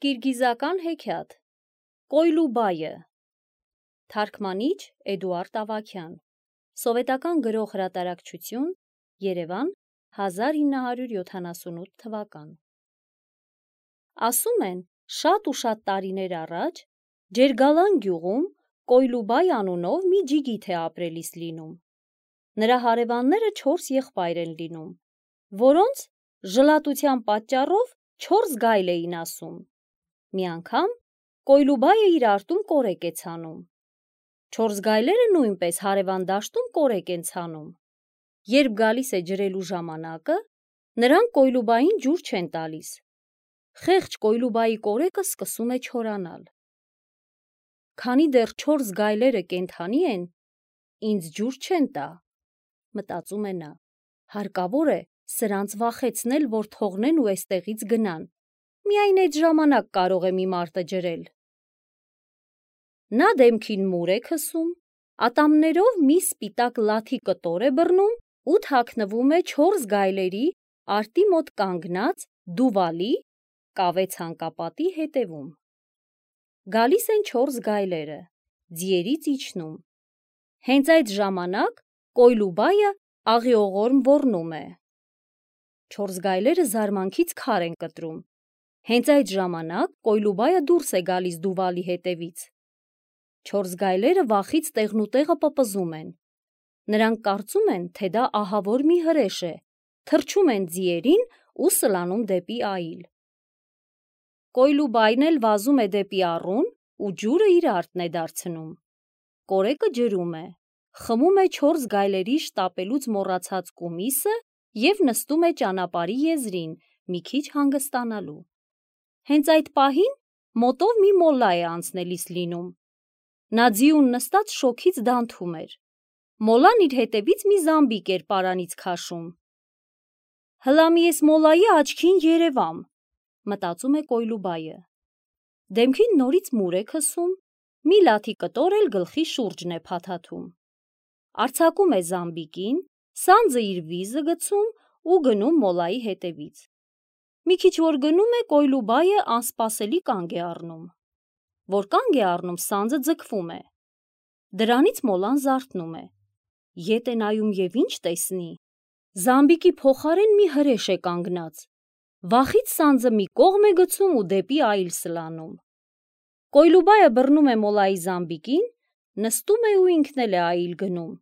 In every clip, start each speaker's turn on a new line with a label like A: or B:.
A: Կիրգիզական հեքիաթ Կոյլուբայը Թարգմանիչ Էդուարդ Ավագյան Սովետական գրող հրատարակչություն Երևան 1978 թվական Ասում են շատ ու շատ տարիներ առաջ Ջերգալան գյուղում Կոյլուբայ անունով մի ջիգիթ է ապրելիս լինում։ Նրա հարևանները 4 եղբայր են լինում, որոնց ժլատության պատճառով 4 գայլ էին ասում։ Մի անգամ Կոյլուբայը իր արտում կորեկ է ցանում։ 4 գայլերը նույնպես հարևան դաշտում կորեկ են ցանում։ Երբ գալիս է ջրելու ժամանակը, նրանք Կոյլուբային ջուր չեն տալիս։ Խեղճ Կոյլուբայի կորեկը սկսում է չորանալ։ Քանի դեռ 4 գայլերը կենդանի են, ինձ ջուր չեն տա, մտածում է նա։ Հարկավոր է սրանց վախեցնել, որ թողնեն ու էստեղից գնան։ Միայն այդ ժամանակ կարող է մի մարդը ջրել։ Նա դեմքին մուր է քսում, ատամներով մի սպիտակ լաթի կտոր է բռնում ու թաքնվում է 4 գայլերի արտի մոտ կանգնած դուվալի կավե ցանկապատի հետևում։ Գալիս են 4 գայլերը, ձիերից իջնում։ Հենց այդ ժամանակ Կոյլուբայը աղիողորմ ոռնում է։ 4 գայլերը զարմանքից քար են կտրում։ Հենց այդ ժամանակ Կոյլուբայը դուրս է գալիս դուվալի հետևից։ 4 գայլերը վախից տեղնուտեղը պպզում են։ Նրանք կարծում են, թե դա ահավոր մի հրեշ է, թռչում են ձիերին ու սլանում դեպի այլ։ Կոյլուբայն էլ վազում է դեպի առուն ու ջուրը իր արտն է դարձնում։ Կորեկը ջրում է, խմում է 4 գայլերի շտապելուց մոռացած կումիսը և նստում է ճանապարհի եզրին մի քիչ հանգստանալու։ Հենց այդ պահին մոտով մի մոլլա է անցնելիս լինում։ Նա ձիուն նստած շոգից դանթում էր։ Մոլլան իր հետևից մի զամբիկ էր պարանից քաշում։ «Հլա մի էս մոլլայի աչքին երևամ», մտածում է Կոյլուբայը։ Դեմքին նորից մուր է քսում, մի լաթի կտոր էլ գլխի շուրջն է փաթաթում։ Արձակում է զամբիկին, սանձը իր վիզը գցում ու գնում մոլլայի հետևից։ Մի քիչ որ գնում է, Կոյլուբայը անսպասելի կանգ է առնում։ Որ կանգ է առնում, սանձը ձգվում է։ Դրանից մոլլան զարթնում է։ Ետ է նայում և ինչ տեսնի։ Զամբիկի փոխարեն մի հրեշ է կանգնած։ Վախից սանձը մի կողմ է գցում ու դեպի այլ սլանում։ Կոյլուբայը բռնում է մոլլայի զամբիկին, նստում է ու ինքն էլ է այլ գնում։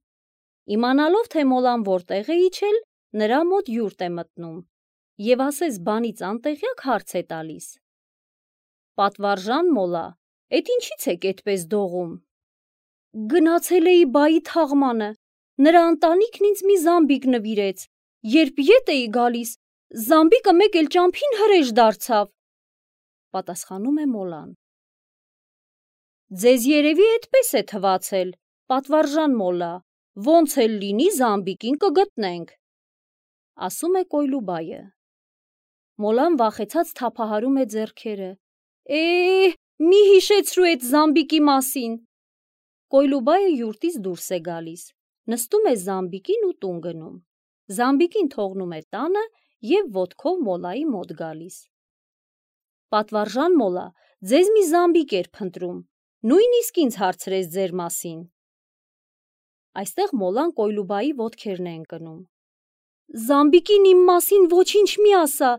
A: Իմանալով, թե մոլլան որտեղ է իջել, նրա մոտ յուրտ է մտնում և ասես բանից անտեղյակ հարց է տալիս. «Պատվարժան մոլլա, էդ ինչից եք էդպես դողում»։ «Գնացել էի բայի թաղմանը, նրա ընտանիքն ինձ մի զամբիկ նվիրեց, երբ ետ էի գալիս, զամբիկը մեկ էլ ճամփին հրեշ դարձավ», պատասխանում է մոլլան։ «Ձեզ երևի էդպես է թվացել, պատվարժան մոլլա, ոնց էլ լինի զամբիկին կգտնենք», ասում է Կոյլուբայը։ Մոլլան վախեցած թափահարում է ձեռքերը։ Մի հիշեցրու էդ զամբիկի մասին։ Կոյլուբայը յուրտից դուրս է գալիս, նստում է զամբիկին ու տուն գնում։ Զամբիկին թողնում է տանը և ոտքով մոլլայի մոտ գալիս։ «Պատվարժան մոլլա, ձեզ մի զամբիկ էր փնտրում, նույնիսկ ինձ հարցրեց ձեր մասին»։ Այստեղ մոլլան Կոյլուբայի ոտքերն է ընկնում։ «Զամբիկին իմ մասին ոչինչ մի ասա,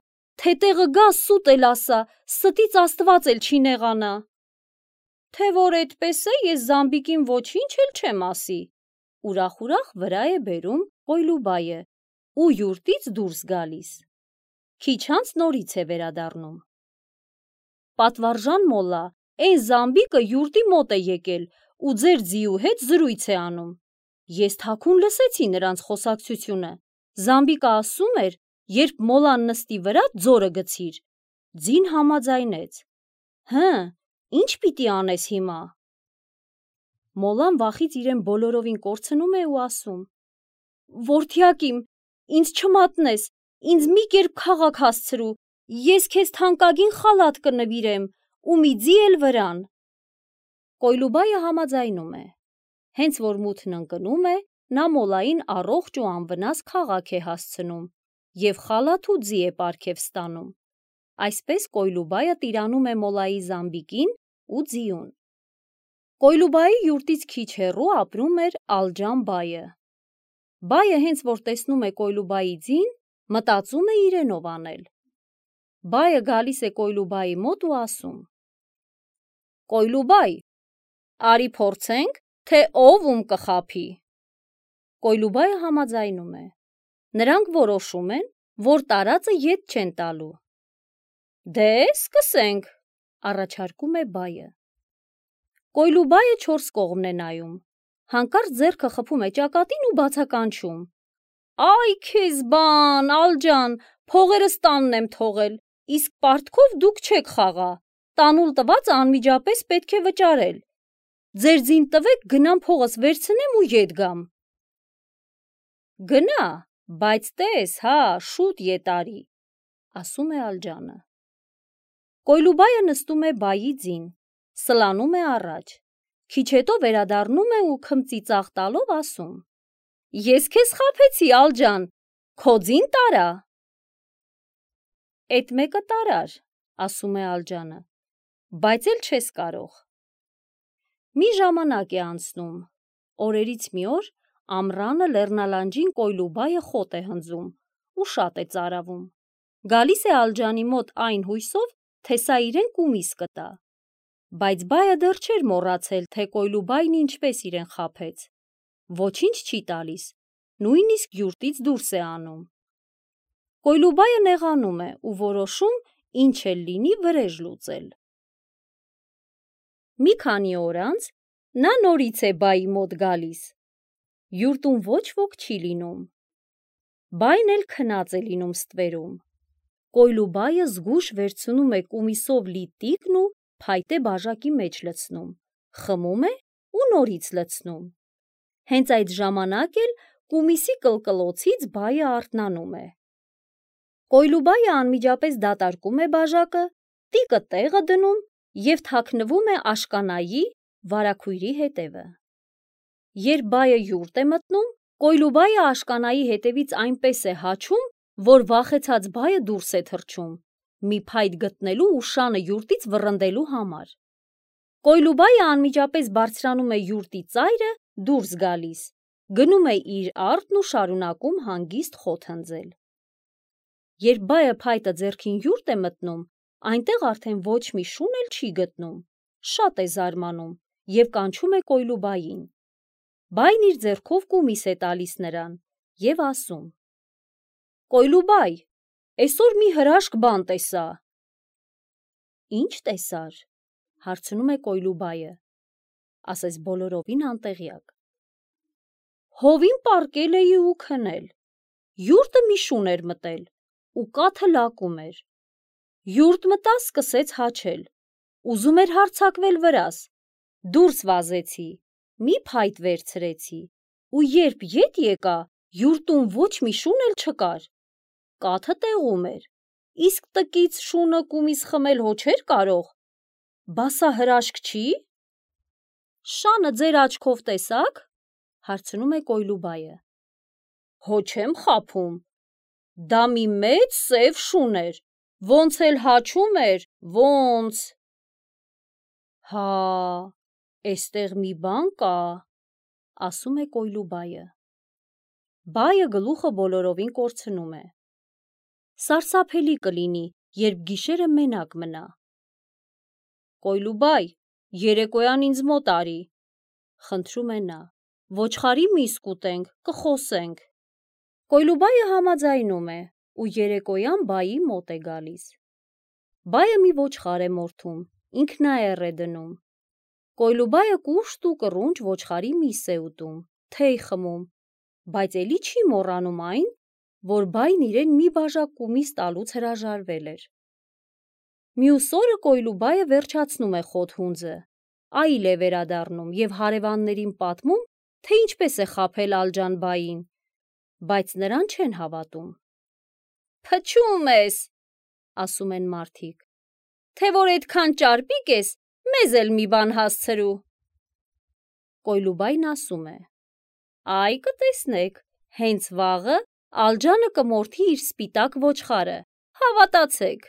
A: թե տեղը գա սուտ էլ ասա, ստից Աստված էլ չի նեղանա»։ «Թե որ էդպես է, ես զամբիկին ոչինչ էլ չեմ ասի», ուրախ վրա է բերում Կոյլուբայը ու յուրտից դուրս գալիս։ Քիչ անց նորից է վերադառնում։ «Պատվարժան մոլլա, էն զամբիկը յուրտի մոտ է եկել ու ձեր ձիու հետ զրույց է անում։ Ես թաքուն լսեցի նրանց խոսակցությունը։ Զամբիկը ասում էր, երբ մոլլան նստի վրա, ձորը գցիր։ Ձին համաձայնեց։ Հը, ինչ պիտի անես հիմա»։ Մոլլան վախից իրեն բոլորովին կորցնում է ու ասում. «Որդյակ իմ, ինձ չմատնես, ինձ մի կերպ քաղաք հասցրու, ես քեզ թանկագին խալաթ կնվիրեմ ու մի ձի էլ վրան»։ Կոյլուբայը համաձայնում է։ Հենց որ մութն ընկնում է, նա մոլլային առողջ ու անվնաս քաղաք է հասցնում և խալաթ ու ձի է պարգև ստանում։ Այսպես Կոյլուբայը տիրանում է Մոլայի Զամբիկին ու ձիուն։ Կոյլուբայի յուրտից քիչ հեռու ապրում էր Ալջան բայը։ Բայը հենց որ տեսնում է Կոյլուբայի ձին, մտածում է իրենով անել։ Բայը գալիս է Կոյլուբայի մոտ ու ասում. Կոյլուբայ, արի փորձենք, թե ով ում կխաբի։ Կոյլուբայը համաձայնում է։ Նրանք որոշում են, որ տարածը ետ չեն տալու։ Դե սկսենք, առաջարկում է բայը։ Կոյլուբայը 4 կողմն է նայում, հանկարծ ձեռքը խփում է ճակատին ու բացականչում. Այ քեզ բան, Ալջան, փողերս տանն եմ թողել, իսկ պարտքով դուք չեք խաղա, տանուլ տվածը անմիջապես պետք է վճարել, ձեր ձին տվեք գնամ փողս վերցնեմ ու ետ գամ։ Գնա, բայց տես, հա, շուտ ետ արի, ասում է Ալջանը։ Կոյլուբայը նստում է բայի ձին, սլանում է առաջ, քիչ հետո վերադառնում է ու քմծիծաղ տալով ասում. Ես քեզ խաբեցի, Ալջան, քո ձին տարա։ Էդ մեկը տարար, ասում է Ալջանը, բայց էլ չես կարող։ Մի ժամանակ է անցնում, օրերից մի օր ամռանը լեռնալանջին Կոյլուբայը խոտ է հնձում ու շատ է ծարավում։ Գալիս է Ալջանի մոտ այն հույսով, թե սա իրեն կումիս կտա։ Բայց բայը դեռ չէր մոռացել, թե Կոյլուբային ինչպես իրեն խաբեց։ Ոչինչ չի տալիս, նույնիսկ յուրտից դուրս է անում։ Կոյլուբայը նեղանում է ու որոշում ինչ էլ լինի վրեժ լուծել։ Մի քանի օր անց նա նորից է բայի մոտ գալիս։ Յուրտում ոչ ոք չի լինում։ Բայն էլ քնած է լինում ստվերում։ Կոյլուբայը զգույշ վերցնում է կումիսով լի տիկն ու փայտե բաժակի մեջ լցնում, խմում է ու նորից լցնում։ Հենց այդ ժամանակ էլ կումիսի կլկլոցից բայը արթնանում է։ Կոյլուբայը անմիջապես դատարկում է բաժակը, տիկը տեղը դնում և թաքնվում է աշկանայի վարագույրի հետևը։ Երբ բայը յուրտ է մտնում, Կոյլուբայը աշկանայի հետևից այնպես է հաչում, որ վախեցած բայը դուրս է թռչում, մի փայտ գտնելու ու շանը յուրտից վռնդելու համար։ Կոյլուբայը անմիջապես բարձրանում է յուրտի ծայրը, դուրս գալիս, գնում է իր արտն ու շարունակում հանգիստ խոտ հնձել։ Երբ բայը փայտը ձեռքին յուրտ է մտնում, այնտեղ արդեն ոչ մի շուն էլ չի գտնում, շատ է զարմանում և կանչում է Կոյլուբային։ Բայն իր ձեռքով կումիս է տալիս նրան և ասում. Կոյլուբայ, էսօր մի հրաշք բան տեսա։ Ինչ տեսար, հարցնում է Կոյլուբայը, ասես բոլորովին անտեղյակ։ Հովին պառկել էի ու քնել, յուրտը մի շուն էր մտել ու կաթը լակում էր։ Յուրտ մտա, սկսեց հաչել, ուզում էր հարձակվել վրաս, դուրս վազեցի, մի փայտ վերցրեցի ու երբ ետ եկա, յուրտում ոչ մի շուն էլ չկար, կաթը տեղում էր, իսկ տկից շունը կումիս խմել հո չէր կարող, բա սա հրաշք չի։ Շանը ձեր աչքով տեսա՞ք, հարցնում է Կոյլուբայը։ Հո չեմ խաբում, դա մի մեծ սև շուն էր, ոնց էլ հաչում էր, ոնց… Հա, էստեղ մի բան կա, ասում է Կոյլուբայը։ Բայը գլուխը բոլորովին կորցնում է։ Սարսափելի կլինի, երբ գիշերը մենակ մնա։ Կոյլուբայ, երեկոյան ինձ մոտ արի, խնդրում է նա, ոչխարի միս կուտենք, կխոսենք։ Կոյլուբայը համաձայնում է ու երեկոյան բայի մոտ է գալիս։ Բայը մի ոչխար է մորթում, ինքնաեռ է դնում։ Կոյլուբայը կուշտ ու կռունչ ոչխարի միս է ուտում, թեյ խմում, բայց էլի չի մոռանում այն, որ բայն իրեն մի բաժակ կումիս տալուց հրաժարվել էր։ Մյուս օրը Կոյլուբայը վերջացնում է խոտ հունձը, այլ է վերադառնում և հարևաններին պատմում, թե ինչպես է խաբել Ալջան բային, բայց նրան չեն հավատում։ Փչում ես, ասում են մարդիկ, թե որ այդքան ճարպիկ ես, մեզ էլ մի բան հասցրու։ Կոյլուբայն ասում է. Այ կտեսնեք, հենց վաղը Ալջանը կմորթի իր սպիտակ ոչխարը, հավատացեք։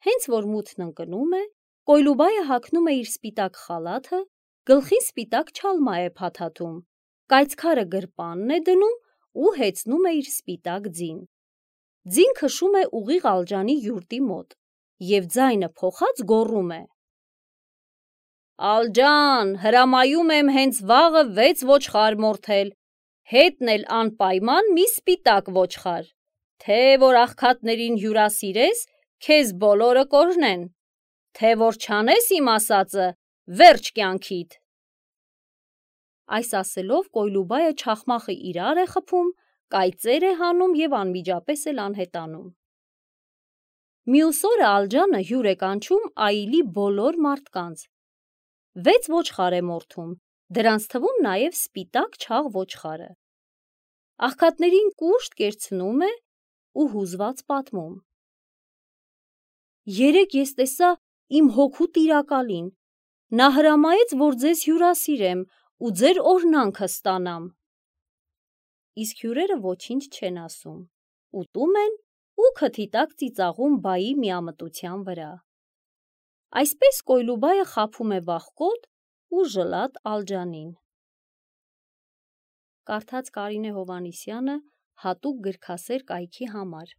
A: Հենց որ մութն ընկնում է, Կոյլուբայը հագնում է իր սպիտակ խալաթը, գլխին սպիտակ չալմա է փաթաթում, կայծքարը գրպանն է դնում ու հեծնում է իր սպիտակ ձին։ Ձին քշում է ուղիղ Ալջանի յուրտի մոտ և ձայնը փոխած գոռում է. «Ալջան, հրամայում եմ հենց վաղը 6 ոչխար մորթել, հետն էլ անպայման մի սպիտակ ոչխար, թե որ աղքատներին հյուրասիրես, քեզ բոլորը կօրհնեն, թե որ չանես իմ ասածը, վերջ կյանքիդ»։ Այս ասելով Կոյլուբայը չախմախը իրար է խփում, կայծեր է հանում և անմիջապես էլ անհետանում։ Մյուս օրը Ալջանը հյուր է կանչում այլի բոլոր մարդկանց։ 6 ոչխար է մորթում, դրանց թվում նաև սպիտակ չաղ ոչխարը։ Աղքատներին կուշտ կերցնում է ու հուզված պատմում. «Երեկ ես տեսա իմ հոգու տիրակալին, նա հրամայեց, որ ձեզ հյուրասիրեմ ու ձեր օրհնանքը ստանամ»։ Իսկ հյուրերը ոչինչ չեն ասում, ուտում են ու քթի տակ ծիծաղում բայի միամտության վրա։ Այսպես Կոյլուբայը խաբում է վախկոտ ու ժլատ Ալջանին։ Կարդաց Կարինե Հովհաննիսյանը հատուկ գրքասեր կայքի համար։